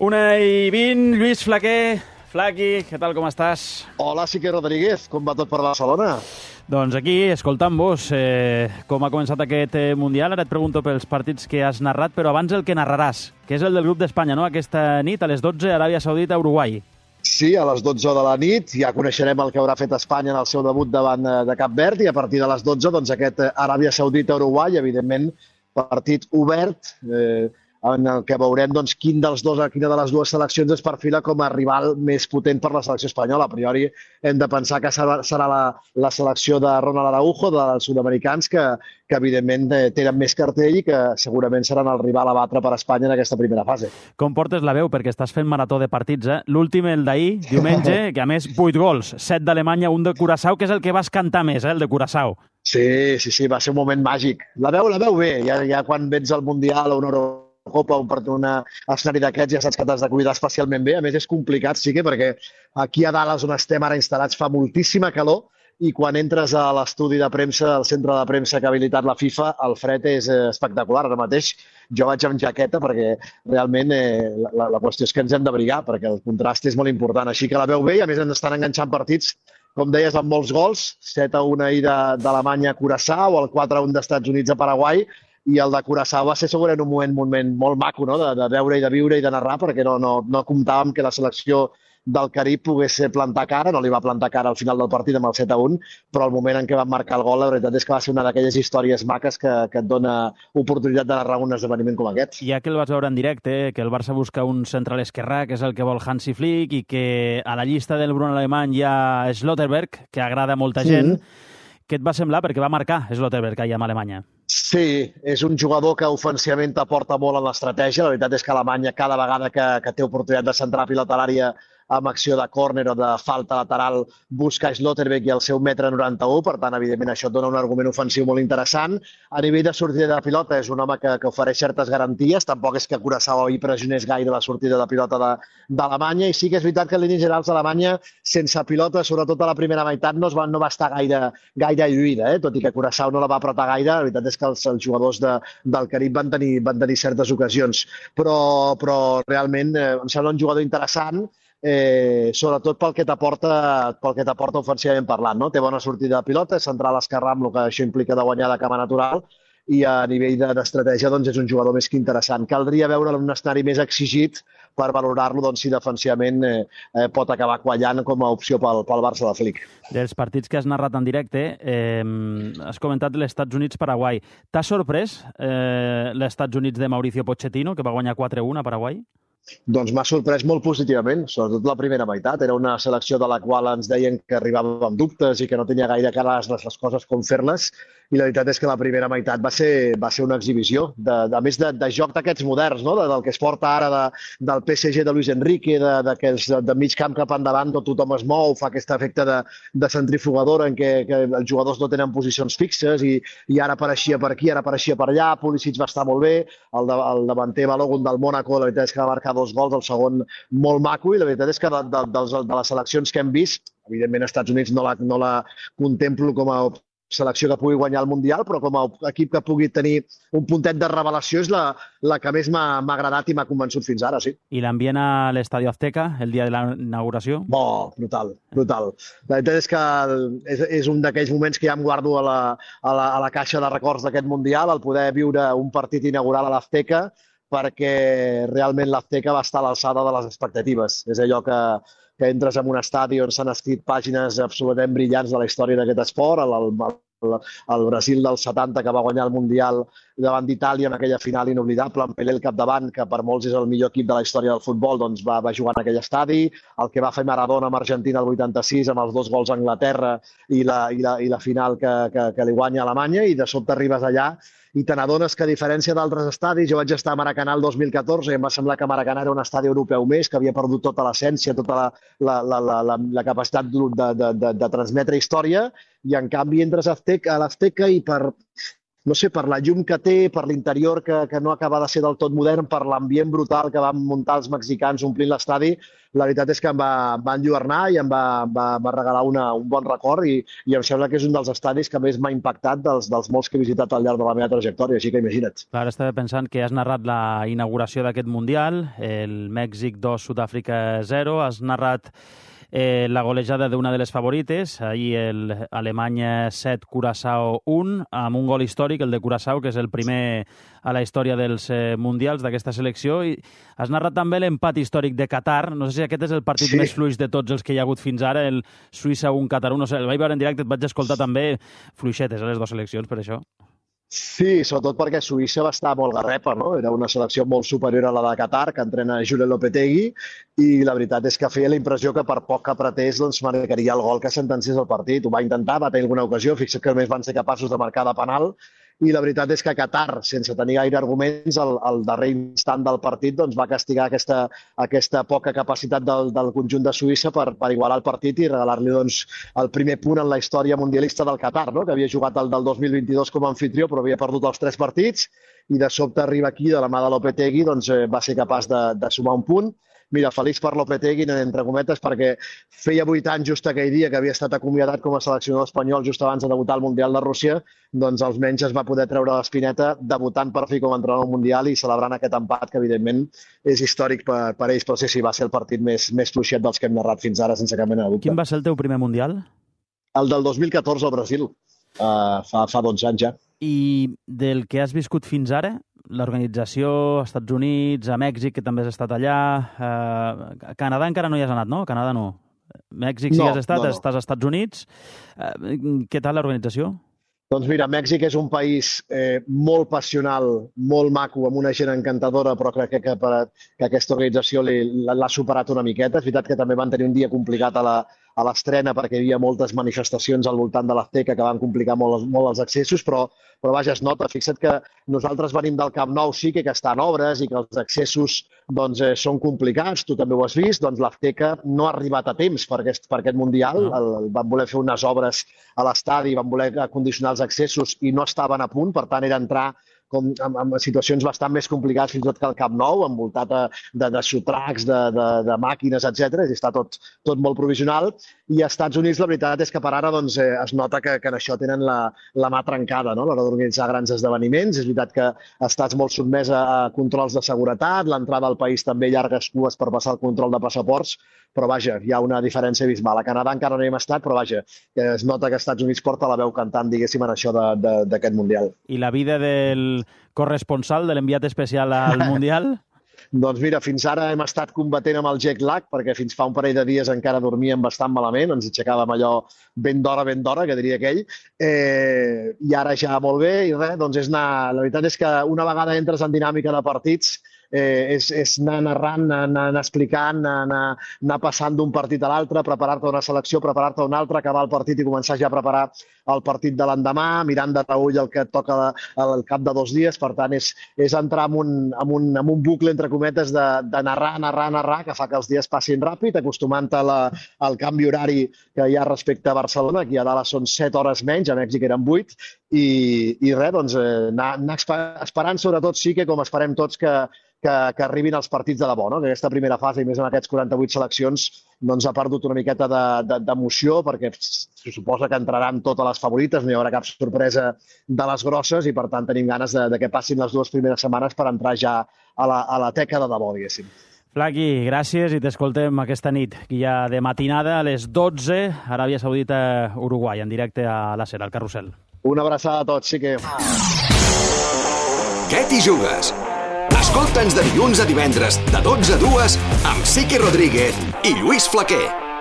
1:20, Lluís Flaquer. Flaqui, què tal, com estàs? Hola, Sique Rodríguez, com va tot per Barcelona? Doncs aquí, escoltant-vos, com ha començat aquest Mundial, ara et pregunto pels partits que has narrat, però abans el que narraràs, que és el del grup d'Espanya, no? Aquesta nit, a les 12, Aràbia Saudita, Uruguai. Sí, a les 12 de la nit ja coneixerem el que haurà fet Espanya en el seu debut davant de Cap Verd i a partir de les 12, doncs, aquest Aràbia Saudita-Uruguai, evidentment, partit obert, en el que veurem doncs, quina de les dues seleccions es perfila com a rival més potent per la selecció espanyola. A priori hem de pensar que serà la selecció de Ronald Araujo, dels sud-americans, que evidentment tenen més cartell i que segurament seran el rival a batre per Espanya en aquesta primera fase. Com portes la veu? Perquè estàs fent marató de partits, eh? L'últim, el d'ahir, diumenge, que a més 8 gols, 7 d'Alemanya, 1 de Curaçao, que és el que vas cantar més, el de Curaçao. Sí, va ser un moment màgic. La veu bé, ja quan vens al Mundial o una Eurocopa o un escenari d'aquests ja saps que t'has de cuidar especialment bé. A més, és complicat, sí, perquè aquí a dalt, on estem ara instal·lats, fa moltíssima calor i quan entres a l'estudi de premsa, al centre de premsa que ha habilitat la FIFA, el fred és espectacular. Ara mateix jo vaig amb jaqueta perquè realment la qüestió és que ens hem d'abrigar perquè el contrast és molt important. Així que la veu bé i a més ens estan enganxant partits, com deies, amb molts gols, 7-1 ahir d'Alemanya a Curaçao, el 4-1 d'Estats Units a Paraguai, i el de Curaçao va ser segurament un moment molt maco, no?, de veure i de viure i de narrar, perquè no comptàvem que la selecció del Carib pogués plantar cara, no li va plantar cara al final del partit amb el 7-1, però el moment en què van marcar el gol, la veritat és que va ser una d'aquelles històries maques que et dona oportunitat de narrar un esdeveniment com aquest. Ja que el vas veure en directe, que el Barça busca un central esquerrà, que és el que vol Hansi Flick, i que a la llista del Bruno alemany hi ha Schlotterberg, que agrada a molta gent. Què et va semblar? Perquè va marcar Schlotterberg ahir amb Alemanya. Sí, és un jugador que ofensivament t'aporta molt en l'estratègia. La veritat és que Alemanya, cada vegada que té oportunitat de centrar pilota a l'àrea amb acció de córner o de falta lateral, busca Schlotterbeck i el seu 1,91 m, per tant, evidentment, això et dona un argument ofensiu molt interessant. A nivell de sortida de pilota, és un home que ofereix certes garanties, tampoc és que Curaçao hi pressionés gaire la sortida de pilota d'Alemanya, i sí que és veritat que en línies generals d'Alemanya, sense pilota, sobretot a la primera meitat, no va estar gaire lluïda, tot i que Curaçao no la va apretar gaire. La veritat és que els jugadors del Carib van tenir certes ocasions, però realment em sembla un jugador interessant, sobretot pel que t'aporta ofensivament parlant, no? Té bona sortida de pilota, és central esquerrà amb el que això implica de guanyar de cama natural, i a nivell d'estratègia doncs és un jugador més que interessant. Caldria veure'l en un escenari més exigit per valorar-lo si defensivament pot acabar quallant com a opció pel Barça de Flick. Dels partits que has narrat en directe, has comentat l'Estats Units-Paraguai. T'ha sorprès l'Estats Units de Mauricio Pochettino, que va guanyar 4-1 a Paraguai? Doncs m'ha sorprès molt positivament, sobretot la primera meitat. Era una selecció de la qual ens deien que arribava amb dubtes i que no tenia gaire clares les coses com fer-les, i la veritat és que la primera meitat va ser una exhibició, a més de joc d'aquests moderns, no? Del que es porta ara del PSG de Luis Enrique, de mig camp cap endavant, tothom es mou, fa aquest efecte de centrifugadora en què els jugadors no tenen posicions fixes i ara apareixia per aquí, ara apareixia per allà. Pulisic va estar molt bé, el davanter Balogun del Mónaco, la veritat és que va marcar 2 gols, el segon molt maco, i la veritat és que de les seleccions que hem vist, evidentment als Estats Units no la contemplo com a selecció que pugui guanyar el Mundial, però com a equip que pugui tenir un puntet de revelació és la que més m'ha agradat i m'ha convençut fins ara, sí. I l'ambient a l'Estadio Azteca, el dia de la inauguració? Brutal. La veritat és que és un d'aquells moments que ja em guardo a la caixa de records d'aquest Mundial, el poder viure un partit inaugural a l'Azteca, perquè realment l'Azteca va estar a l'alçada de les expectatives. És allò que entres en un estadi on s'han escrit pàgines absolutament brillants de la història d'aquest esport, el Brasil del 70, que va guanyar el Mundial davant d'Itàlia en aquella final inoblidable, amb Pelé al capdavant, que per molts és el millor equip de la història del futbol, doncs va jugar en aquell estadi, el que va fer Maradona amb Argentina el 86, amb els 2 gols a Anglaterra i la final que li guanya a Alemanya, i de sobte arribes allà i te n'adones que, a diferència d'altres estadis, jo vaig estar a Maracanà el 2014 i em va semblar que Maracanà era un estadi europeu més, que havia perdut tota l'essència, tota la capacitat de transmetre història, i en canvi entres a l'Azteca i per no sé, per la llum que té, per l'interior que no acaba de ser del tot modern, per l'ambient brutal que van muntar els mexicans omplint l'estadi, la veritat és que em va enlluernar i em va regalar un bon record i em sembla que és un dels estadis que més m'ha impactat dels molts que he visitat al llarg de la meva trajectòria, així que imagina't. Clar, estava pensant que has narrat la inauguració d'aquest Mundial, el Mèxic 2, Sud-àfrica 0, has narrat la golejada d'una de les favorites, ahir Alemanya 7, Curaçao 1, amb un gol històric, el de Curaçao, que és el primer a la història dels mundials d'aquesta selecció. I has narrat també l'empat històric de Qatar. No sé si aquest és el partit més fluix de tots els que hi ha hagut fins ara, el Suïssa 1, Qatar 1. No sé, el vaig veure en directe, et vaig escoltar també fluixetes a les dues seleccions, per això. Sí, sobretot perquè Suïssa va estar molt garrepa, no? Era una selecció molt superior a la de Qatar, que entrena Julen Lopetegui, i la veritat és que feia la impressió que per poc que apretés doncs marcaria el gol que sentenciés el partit. Ho va intentar, va tenir alguna ocasió, fixa't que només van ser capaços de marcar de penal, i la veritat és que Qatar, sense tenir gaire arguments, al darrer instant del partit doncs, va castigar aquesta poca capacitat del conjunt de Suïssa per igualar el partit i regalar-li doncs, el primer punt en la història mundialista del Qatar, no? Que havia jugat el del 2022 com a anfitrió, però havia perdut els 3 partits, i de sobte arriba aquí, de la mà de Lopetegui, doncs va ser capaç de sumar un punt. Mira, feliç per Lopetegui, entre cometes, perquè feia 8 anys just aquell dia que havia estat acomiadat com a seleccionador espanyol just abans de debutar al Mundial de Rússia, doncs almenys es va poder treure l'espineta debutant per fi com a entrenador al Mundial i celebrant aquest empat, que evidentment és històric per ells, però sí, va ser el partit més fluixet dels que hem narrat fins ara, sense cap mena de dubte. Quin va ser el teu primer Mundial? El del 2014 al Brasil, fa 12 anys ja. I del que has viscut fins ara, l'organització, als Estats Units, a Mèxic, que també has estat allà, a Canadà encara no hi has anat, no? Canadà no. Mèxic sí que has estat, estàs als Estats Units. Què tal l'organització? Doncs mira, Mèxic és un país molt passional, molt maco, amb una gent encantadora, però crec que aquesta organització l'ha superat una miqueta. És veritat que també van tenir un dia complicat a l'estrena perquè hi havia moltes manifestacions al voltant de l'Azteca que van complicar molt els accessos, però vaja, es nota. Fixa't que nosaltres venim del Camp Nou, sí que està en obres i que els accessos doncs, són complicats, tu també ho has vist, doncs l'Azteca no ha arribat a temps per aquest Mundial, van voler fer unes obres a l'estadi, van voler condicionar els accessos i no estaven a punt, per tant era entrar en situacions bastant més complicades fins i tot que el Camp Nou, envoltat de sotracs, de màquines, etc. Està tot molt provisional. I als Estats Units la veritat és que per ara doncs, es nota que en això tenen la mà trencada, no? A l'hora d'organitzar grans esdeveniments. És veritat que estàs molt sotmès a controls de seguretat, l'entrada al país també llargues cues per passar el control de passaports, però vaja, hi ha una diferència abismal. A Canadà encara no hi hem estat, però vaja, es nota que als Estats Units porta la veu cantant, diguéssim, en això d'aquest Mundial. I la vida del corresponsal, de l'enviat especial al Mundial? Doncs mira, fins ara hem estat combatent amb el jet lag, perquè fins fa un parell de dies encara dormíem bastant malament, ens aixecàvem allò ben d'hora, que diria aquell, i ara ja molt bé, i res, doncs és anar... La veritat és que una vegada entres en dinàmica de partits, és anar narrant, anar explicant, anar passant d'un partit a l'altre, preparar-te una selecció, preparar-te una altra, acabar el partit i començar ja a preparar el partit de l'endemà, mirant de reull el que et toca al cap de 2 dies. Per tant, és entrar en un bucle, entre cometes, de narrar, que fa que els dies passin ràpid, acostumant-te al canvi horari que hi ha respecte a Barcelona. Aquí a Dallas són 7 hores menys, a Mèxic eren 8, i res, doncs, anar esperant, sobretot sí que, com esperem tots, que arribin els partits de debò, no? Que aquesta primera fase, i més en aquests 48 seleccions, doncs ha perdut una miqueta d'emoció, perquè se suposa que entraran totes les favorites, no hi haurà cap sorpresa de les grosses, i per tant tenim ganes de que passin les 2 primeres setmanes per entrar ja a la teca de debò, diguéssim. Flaqui, gràcies, i t'escoltem aquesta nit, que hi ha de matinada a les 12, Aràbia Saudita, Uruguai, en directe a la SER, al Carrusel. Una abraçada a tots, sí que... Què t'hi jugues? Escolta'ns de dilluns a divendres, de 12 a 2, amb Sique Rodríguez i Lluís Flaquer.